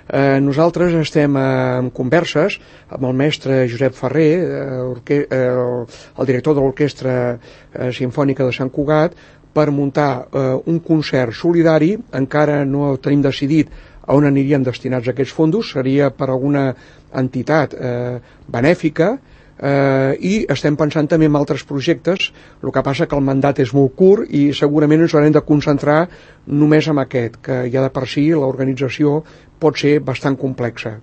Nosaltres estem en converses amb el mestre Josep Ferrer, el director de l'Orquestra Simfònica de Sant Cugat, per muntar un concert solidari. Encara no tenim decidit a on anirien destinats aquests fondos, seria per alguna entitat benèfica, i estem pensant també en altres projectes. El que passa que el mandat és molt curt i segurament ens haurem de concentrar només en aquest, que ja de per si l'organització pot ser bastant complexa.